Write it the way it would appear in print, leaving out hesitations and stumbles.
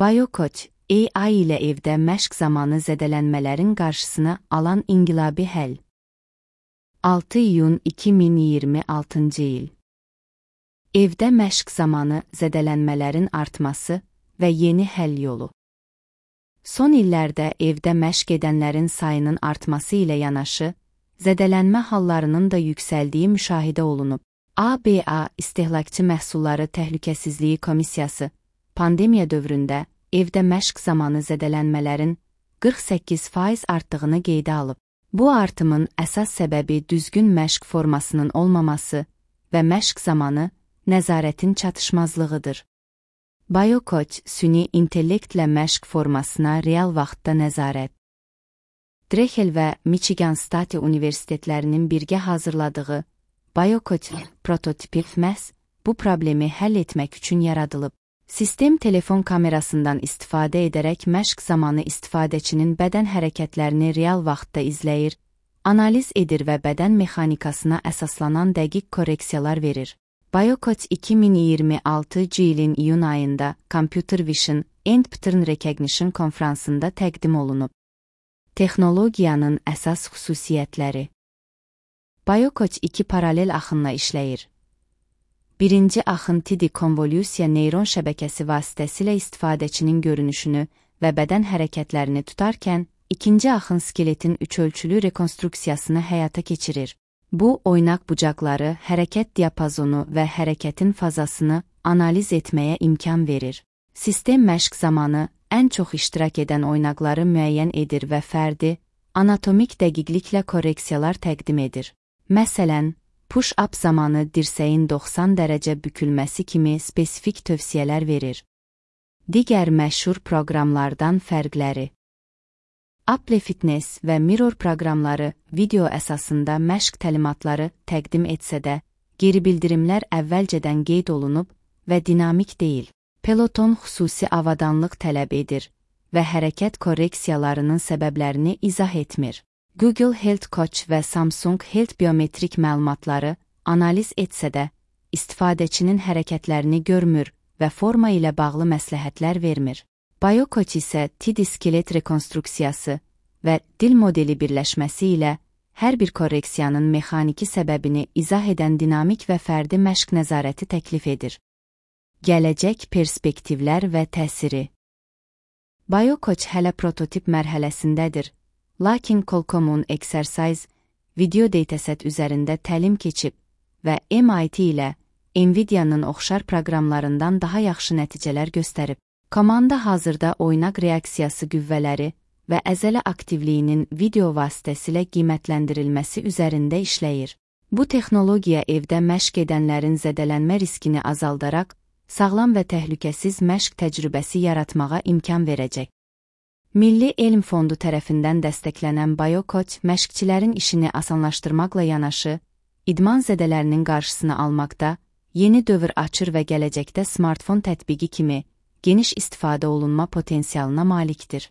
BioCoach, AI ilə evdə məşq zamanı zədələnmələrin qarşısını alan inqilabi həll. 6 iyun 2026-cı il. Evdə məşq zamanı zədələnmələrin artması və yeni həll yolu. Son illərdə evdə məşq edənlərin sayının artması ilə yanaşı, zədələnmə hallarının da yüksəldiyi müşahidə olunub. ABA İstehlakçı Məhsulları Təhlükəsizliyi Komissiyası pandemiya dövründə evdə məşq zamanı zədələnmələrin 48% artdığını qeydə alıb. Bu artımın əsas səbəbi düzgün məşq formasının olmaması və məşq zamanı nəzarətin çatışmazlığıdır. BioCoach süni intellektlə məşq formasına real vaxtda nəzarət. Drexel və Michigan State Universitetlərinin birgə hazırladığı BioCoach prototipi məhz bu problemi həll etmək üçün yaradılıb. Sistem telefon kamerasından istifadə edərək məşq zamanı istifadəçinin bədən hərəkətlərini real vaxtda izləyir, analiz edir və bədən mexanikasına əsaslanan dəqiq korreksiyalar verir. BioCoach 2026-cı ilin iyun ayında Computer Vision and Pattern Recognition konfransında təqdim olunub. Texnologiyanın əsas xüsusiyyətləri. BioCoach 2 paralel axınla işləyir. Birinci axın TD konvolyusiya neyron şəbəkəsi vasitəsilə istifadəçinin görünüşünü və bədən hərəkətlərini tutarkən, ikinci axın skeletin üçölçülü rekonstruksiyasını həyata keçirir. Bu, oynaq bucaqları, hərəkət diapazonu və hərəkətin fazasını analiz etməyə imkan verir. Sistem məşq zamanı ən çox iştirak edən oynaqları müəyyən edir və fərdi, anatomik dəqiqliklə korreksiyalar təqdim edir. Məsələn, push-up zamanı dirsəyin 90 dərəcə bükülməsi kimi spesifik tövsiyələr verir. Digər məşhur proqramlardan fərqləri. Apple Fitness və Mirror proqramları video əsasında məşq təlimatları təqdim etsə də, geri bildirimlər əvvəlcədən qeyd olunub və dinamik deyil. Peloton xüsusi avadanlıq tələb edir və hərəkət korreksiyalarının səbəblərini izah etmir. Google Health Coach və Samsung Health biometrik məlumatları analiz etsə də, istifadəçinin hərəkətlərini görmür və forma ilə bağlı məsləhətlər vermir. BioCoach isə TD skelet rekonstruksiyası və dil modeli birləşməsi ilə hər bir korreksiyanın mexaniki səbəbini izah edən dinamik və fərdi məşq nəzarəti təklif edir. Gələcək perspektivlər və təsiri. BioCoach hələ prototip mərhələsindədir, lakin Qualcomm'un Exercise video dataset üzərində təlim keçib və MIT ilə Nvidia'nın oxşar proqramlarından daha yaxşı nəticələr göstərib. Komanda hazırda oynaq reaksiyası qüvvələri və əzələ aktivliyinin video vasitəsilə qiymətləndirilməsi üzərində işləyir. Bu texnologiya evdə məşq edənlərin zədələnmə riskini azaldaraq, sağlam və təhlükəsiz məşq təcrübəsi yaratmağa imkan verəcək. Milli Elm Fondu tərəfindən dəstəklənən BioCoach məşqçilərin işini asanlaşdırmaqla yanaşı, idman zədələrinin qarşısını almaqda, yeni dövr açır və gələcəkdə smartfon tətbiqi kimi geniş istifadə olunma potensialına malikdir.